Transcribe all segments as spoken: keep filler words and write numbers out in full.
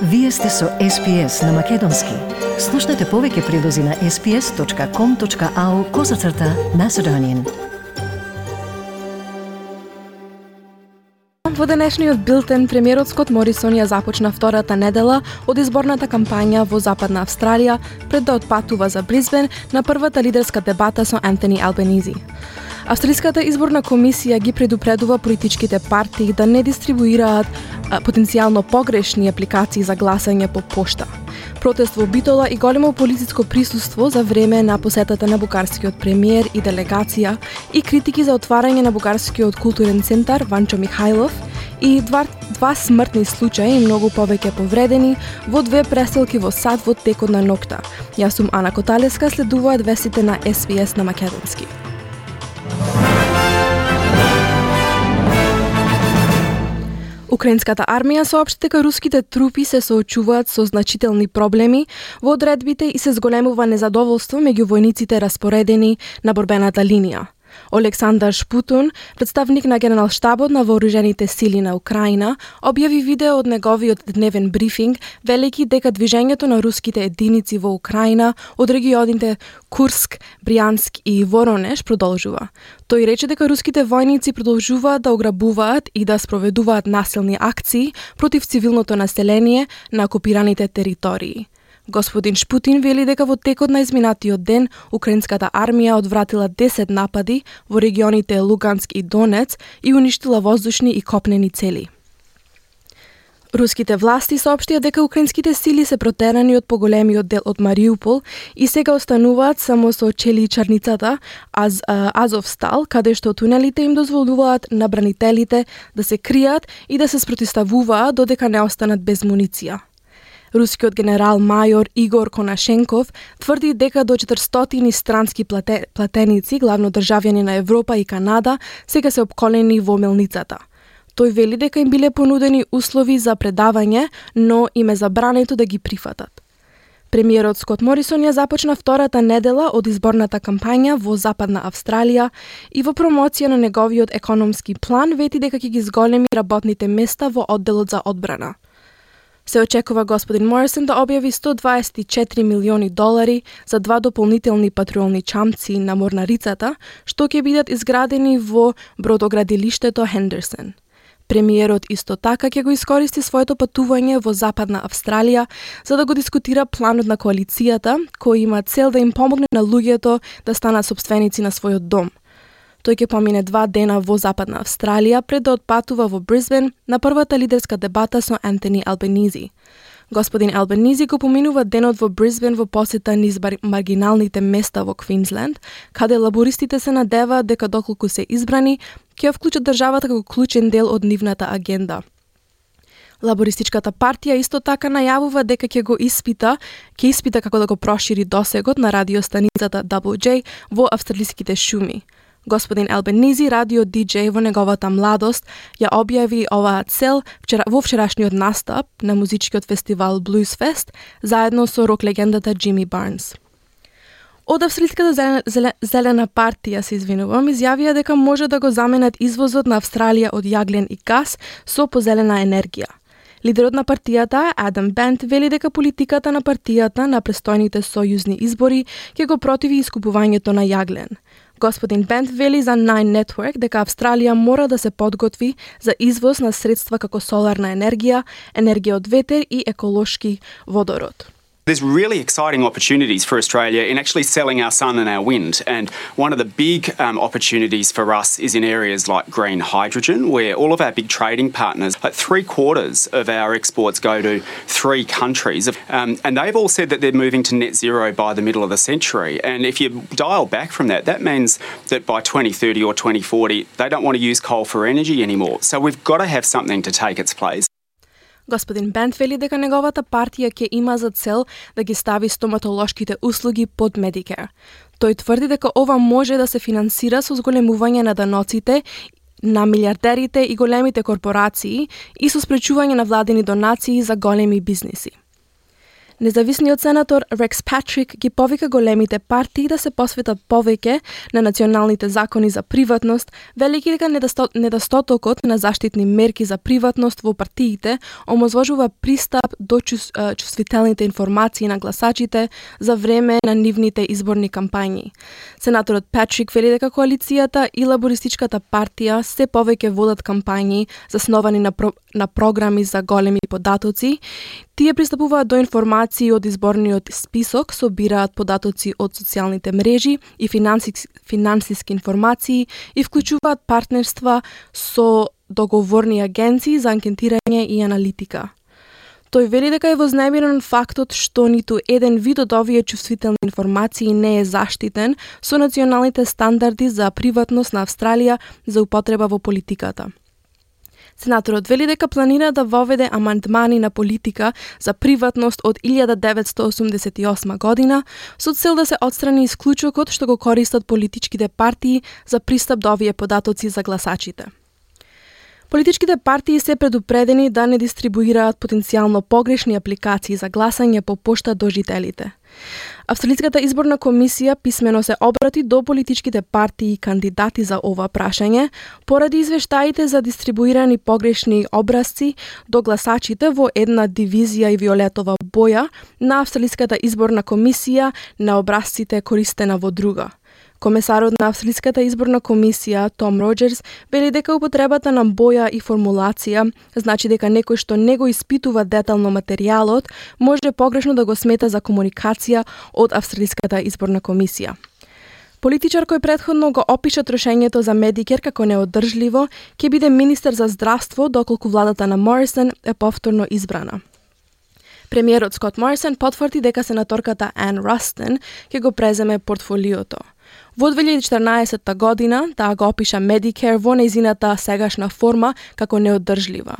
Вие сте со Ес Би Ес на Македонски. Слушнете повеќе прилози на ес би ес точка ком точка ау козацрта Macedonian. Во денешниот билтен, премиерот Скот Морисон ја започна втората недела од изборната кампања во Западна Австралија пред да отпатува за Брисбен на првата лидерска дебата со Ентони Албенизи. Австралиската изборна комисија ги предупредува политичките партии да не дистрибуираат а, потенцијално погрешни апликации за гласање по пошта. Протест во Битола и големо полициско присуство за време на посетата на бугарскиот премиер и делегација и критики за отварање на бугарскиот културен центар Ванчо Михајлов и два, два смртни случаи и многу повеќе повредени во две преселки во Сад во текот на ноќта. Јас сум Ана Коталеска, следуваат вестите на Ес Би Ес на Македонски. Украинската армија соопшти дека руските трупи се соочуваат со значителни проблеми во одредбите и се зголемува незадоволство меѓу војниците распоредени на борбената линија. Олександар Шпутун, представник на Генералштабот на вооружените сили на Украина, објави видео од неговиот дневен брифинг, велики дека движењето на руските единици во Украина од регионите Курск, Бријанск и Воронеж продолжува. Тој рече дека руските војници продолжуваат да ограбуваат и да спроведуваат насилни акции против цивилното население на окупираните територии. Господин Шпутин вели дека во текот на изминатиот ден украинската армија одвратила десет напади во регионите Луганск и Донец и уништила воздушни и копнени цели. Руските власти соопштија дека украинските сили се протерани од поголемиот дел од Мариупол и сега остануваат само со челичарницата Аз, Азовстал, каде што тунелите им дозволуваат на бранителите да се кријат и да се спротиставуваат додека не останат без муниција. Рускиот генерал мајор Игор Конашенков тврди дека до четиристотини странски плате, платеници, главно државјани на Европа и Канада, сега се опколени во мелницата. Тој вели дека им биле понудени услови за предавање, но им е забрането да ги прифатат. Премиерот Скот Морисон ја започна втората недела од изборната кампања во Западна Австралија и во промоција на неговиот економски план вети дека ќе ги зголеми работните места во одделот за одбрана. Се очекува господин Морисон да објави сто дваесет и четири милиони долари за два дополнителни патрулни чамци на морнарицата, што ќе бидат изградени во бродоградилиштето Хендерсон. Премиерот исто така ќе го искористи своето патување во Западна Австралија за да го дискутира планот на коалицијата, кој има цел да им помогне на луѓето да станат сопственици на својот дом. Тој ќе помине два дена во Западна Австралија пред да отпатува во Брисбен на првата лидерска дебата со Ентони Албенизи. Господин Албенизи го поминува денот во Брисбен во посета низ маргиналните места во Квинсленд, каде лабористите се надеваат дека доколку се избрани, ќе ја вклучат државата како клучен дел од нивната агенда. Лабористичката партија исто така најавува дека ќе го испита, ќе испита како да го прошири досегот на радиостаницата дабл ю џеј во австралиските шуми. Господин Албенизи, радио диџеј во неговата младост, ја објави оваа цел вчера, во вчерашниот настап на музичкиот фестивал Blues Fest, заедно со рок легендата Джими Барнс. Од Австралиската зелена, зелена, зелена партија, се извинувам, изјавија дека може да го заменат извозот на Австралија од јаглен и газ со позелена енергија. Лидерот на партијата, Адам Бент, вели дека политиката на партијата на престојните сојузни избори ќе го противи искупувањето на јаглен. Господин Бент вели за Nine Network дека Австралија мора да се подготви за извоз на средства како соларна енергија, енергија од ветер и еколошки водород. There's really exciting opportunities for Australia in actually selling our sun and our wind. And one of the big um, opportunities for us is in areas like green hydrogen, where all of our big trading partners, like three quarters of our exports go to three countries. Um, and they've all said that they're moving to net zero by the middle of the century. And if you dial back from that, that means that by twenty thirty or twenty forty, they don't want to use coal for energy anymore. So we've got to have something to take its place. Господин Бент вели дека неговата партија ќе има за цел да ги стави стоматолошките услуги под Medicare. Тој тврди дека ова може да се финансира со зголемување на даноците на милиардерите и големите корпорации и со спречување на владени донации за големи бизниси. Независниот сенатор Рекс Патрик ги повика големите партии да се посветат повеќе на националните закони за приватност, велики дека недостатокот на заштитни мерки за приватност во партиите омозвожува пристап до чувствителните информации на гласачите за време на нивните изборни кампањи. Сенаторот Патрик вели дека коалицијата и лабористичката партија се повеќе водат кампањи засновани на, про, на програми за големи податоци. Тие пристапуваат до информации од изборниот список, собираат податоци од социјалните мрежи и финансиски, финансиски информации и вклучуваат партнерства со договорни агенции за анкетирање и аналитика. Тој вели дека е вознемирен фактот што ниту еден вид од овие чувствителни информации не е заштитен со националните стандарди за приватност на Австралија за употреба во политиката. Сенаторот вели дека планира да воведе амандмани на политика за приватност од илјада деветстотини осумдесет и осма година со цел да се отстрани исклучокот што го користат политичките партии за пристап до овие податоци за гласачите. Политичките партии се предупредени да не дистрибуираат потенцијално погрешни апликации за гласање по пошта до жителите. Австралиската изборна комисија писмено се обрати до политичките партии и кандидати за ова прашање, поради извештаите за дистрибуирани погрешни образци до гласачите во една дивизија и виолетова боја на Австралиската изборна комисија на образците користена во друга. Комесарот на Австралиската изборна комисија, Том Роџерс, вели дека употребата на боја и формулација значи дека некој што не го испитува детално материјалот може погрешно да го смета за комуникација од Австралиската изборна комисија. Политичар кој претходно го опиша трошењето за Медикер како неодржливо, ќе биде министер за здравство доколку владата на Морисон е повторно избрана. Премиерот Скот Морисон потврди дека сенаторката Ан Растен ќе го преземе портфолиото. Во две илјади и четрнаесетта година таа го опиша Medicare во нејзината сегашна форма како неодржлива.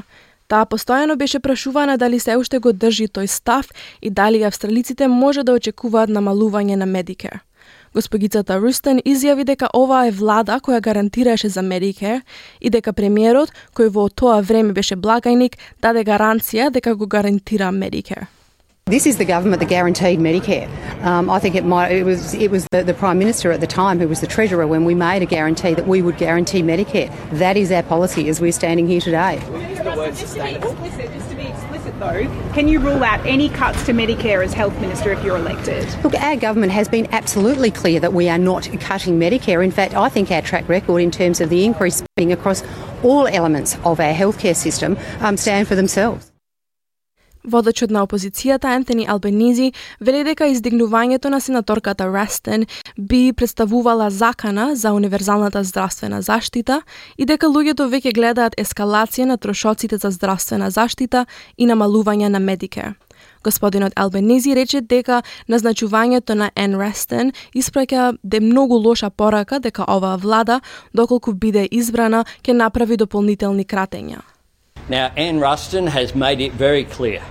Таа постојано беше прашувана дали се уште го држи тој став и дали австралиците може да очекуваат намалување на Medicare. Госпогицата Рустен изјави дека ова е влада која гарантираше за Medicare и дека премиерот, кој во тоа време беше благајник, даде гаранција дека го гарантира Medicare. This is the government that guaranteed Medicare. Um, I think it might. It was. It was the, the Prime Minister at the time who was the Treasurer when we made a guarantee that we would guarantee Medicare. That is our policy as we're standing here today. Just to be explicit, just to be explicit though, can you rule out any cuts to Medicare as Health Minister if you're elected? Look, our government has been absolutely clear that we are not cutting Medicare. In fact, I think our track record in terms of the increased spending across all elements of our healthcare system um, stand for themselves. Водачот на опозицијата Антони Албенизи вели дека издигнувањето на сенаторката Растен би представувала закана за универзалната здравствена заштита и дека луѓето веќе гледаат ескалација на трошоците за здравствена заштита и намалување на Medicare. Господинот Албенизи рече дека назначувањето на Ан Растен испраќа де многу лоша порака дека оваа влада, доколку биде избрана, ќе направи дополнителни кратења. Now, Ann Ruston has made it very clear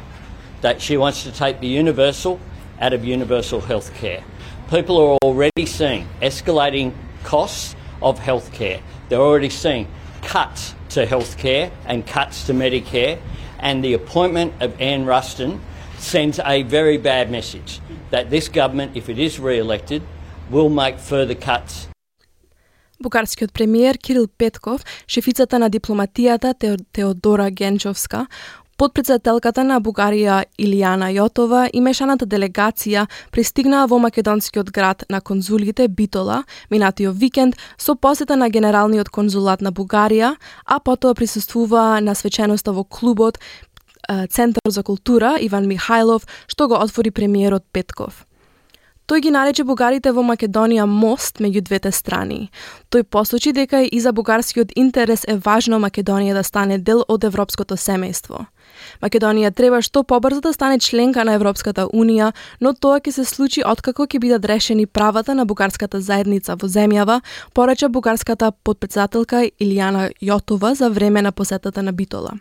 that she wants to take the universal out of universal health care. People are already seeing escalating costs of health care. They're already seeing cuts to health care and cuts to Medicare, and the appointment of Ann Ruston sends a very bad message that this government, if it is re-elected, will make further cuts. Бугарскиот премиер Кирил Петков, шефицата на дипломатијата Теодора Генчовска, подпредседателката на Бугарија Илијана Јотова и мешаната делегација пристигнаа во македонскиот град на конзулите Битола минатиот викенд со посета на генералниот конзулат на Бугарија, а потоа присуствува на свеченоста во клубот Центар за култура Иван Михајлов, што го отвори премиерот Петков. Тој ги нарече бугарите во Македонија мост меѓу двете страни. Тој посочи дека и за бугарскиот интерес е важно Македонија да стане дел од европското семејство. Македонија треба што побрзо да стане членка на Европската унија, но тоа ќе се случи откако ќе бидат решени правата на бугарската заедница во земјава, порача бугарската подпредседателка Илијана Јотова за време на посетата на Битола.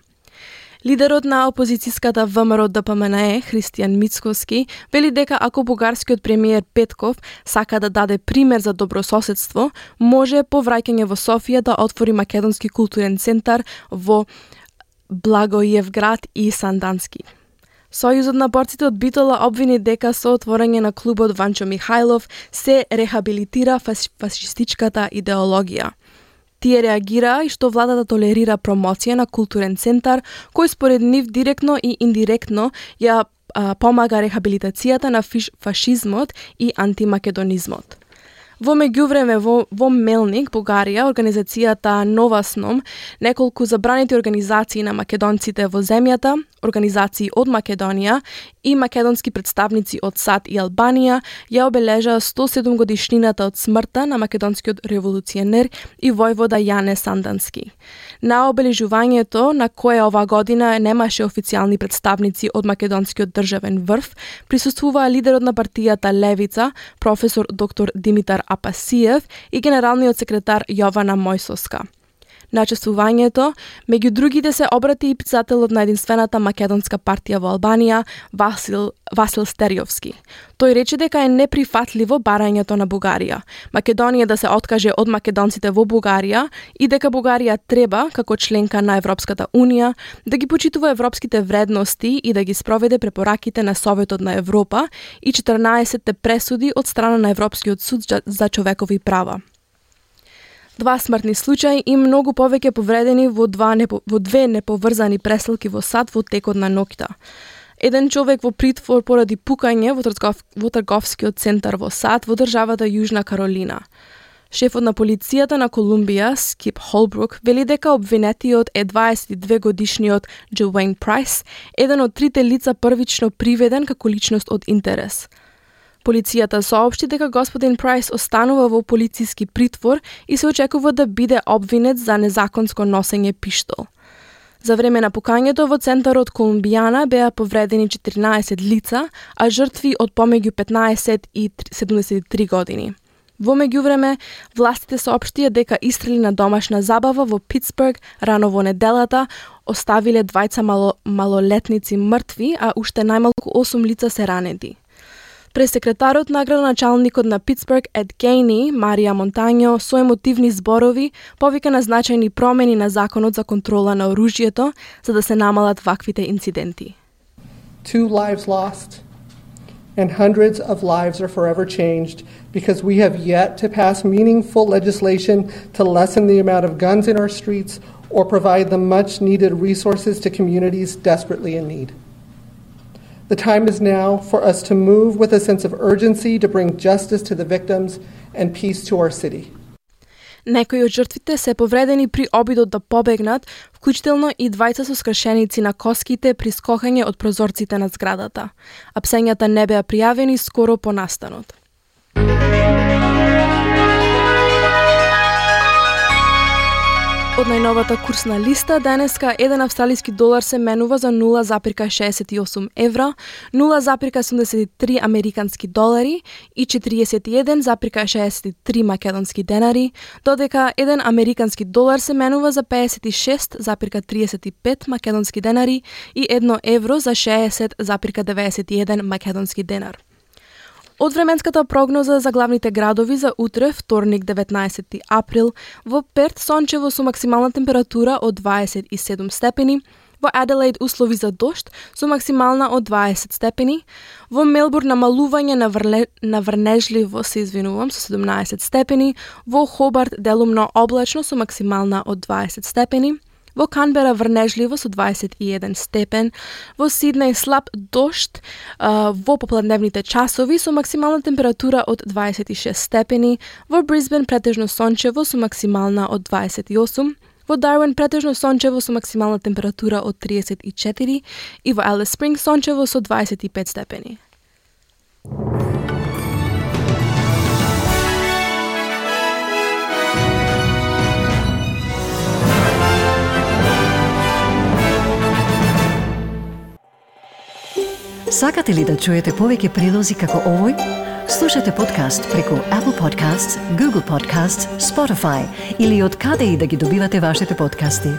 Лидерот на опозицијската ВМРО Д П М Н Е, Христијан Мицкоски, вели дека ако бугарскиот премиер Петков сака да даде пример за добрососедство, може по враќање во Софија да отвори Македонски културен центар во Благоевград и Сандански. Сојузот на борците од Битола обвини дека со отворање на клубот Ванчо Михајлов се рехабилитира фаш, фашистичката идеологија. Тие реагира и што владата толерира промоција на културен центар, кој според нив директно и индиректно ја а, помага рехабилитацијата на фиш, фашизмот и антимакедонизмот. Во меѓувреме во, во Мелник, Бугарија, организацијата Нова Сном, неколку забранети организации на македонците во земјата, организации од Македонија и македонски представници од САД и Албанија ја обележаа сто седум годишнината од смртта на македонскиот револуционер и војвода Јане Сандански. На обележувањето, на кое ова година немаше официјални представници од македонскиот државен врв, присуствуваа лидерот на партијата Левица, професор доктор Димитар Апасиев и генералниот секретар Јована Мојсоска. На чествувањето, меѓу другите се обрати и пицателот на единствената македонска партија во Албанија, Васил, Васил Стериовски. Тој рече дека е неприфатливо барањето на Бугарија, Македонија да се откаже од македонците во Бугарија и дека Бугарија треба, како членка на Европската Унија, да ги почитува европските вредности и да ги спроведе препораките на Советот на Европа и четрнаесетте пресуди од страна на Европскиот суд за човекови права. Два смртни случаи и многу повеќе повредени во, два непо, во две неповрзани преселки во САД во текот на ноќта. Еден човек во притвор поради пукање во, тргов, во трговскиот центар во САД во државата Јужна Каролина. Шефот на полицијата на Колумбија, Скип Холбрук, вели дека обвинетиот е дваесет и две годишниот Джоуейн Прайс, еден од трите лица првично приведен како личност од интерес. Полицијата соопшти дека господин Прайс останува во полициски притвор и се очекува да биде обвинет за незаконско носење пиштол. За време на пукањето во центарот Колумбијана беа повредени четрнаесет лица, а жртви од помеѓу петнаесет и седумдесет и три години. Во меѓувреме, властите соопштија дека истрели на домашна забава во Питсбург рано во неделата оставиле двајца мало, малолетници мртви, а уште најмалку осум лица се ранети. Пресекретарот на градоначалникот на Питсбург Ед Гейни, Марија Монтањо, со емотивни зборови повика на значајни промени на законот за контрола на оружјето за да се намалат ваквите инциденти. Two lives lost and hundreds of lives are forever changed because we have yet to pass meaningful legislation to lessen the amount of guns in our streets or provide the much needed resources to communities desperately in need. The time is now for us to move with a sense of urgency to bring justice to the victims and peace to our city. Некои од жртвите се повредени при обидот да побегнат, вклучително и двајца со скршеници на коските при скокање од прозорците на зградата. Апсењата не беа пријавени скоро по настанот. Од најновата курсна листа, денеска еден австралиски долар се менува за нула запирка шеесет и осум евра, нула запирка седумдесет и три американски долари и четириесет и еден запирка шеесет и три македонски денари, додека еден американски долар се менува за пеесет и шест запирка триесет и пет македонски денари и едно евро за шеесет запирка деветдесет и еден македонски денар. Од временската прогноза за главните градови за утре, вторник деветнаесети април, во Перт сончево со максимална температура од дваесет и седум степени, во Аделаид услови за дожд со максимална од дваесет степени, во Мелбурн намалување на, врле, на врнежливо, се извинувам, со седумнаесет степени, во Хобарт делумно облачно со максимална од дваесет степени, во Канбера врнежливо со дваесет и еден степен, во Сиднеј слаб дожд а, во попладневните часови со максимална температура од дваесет и шест степени, во Брисбен претежно сончево со максимална од дваесет и осум, во Дарвин претежно сончево со максимална температура од триесет и четири и во Алис Спринг сончево со дваесет и пет степени. Сакате ли да чуете повеќе прилози како овој? Слушате подкаст преку Apple Podcasts, Google Podcasts, Spotify или од каде и да ги добивате вашите подкасти.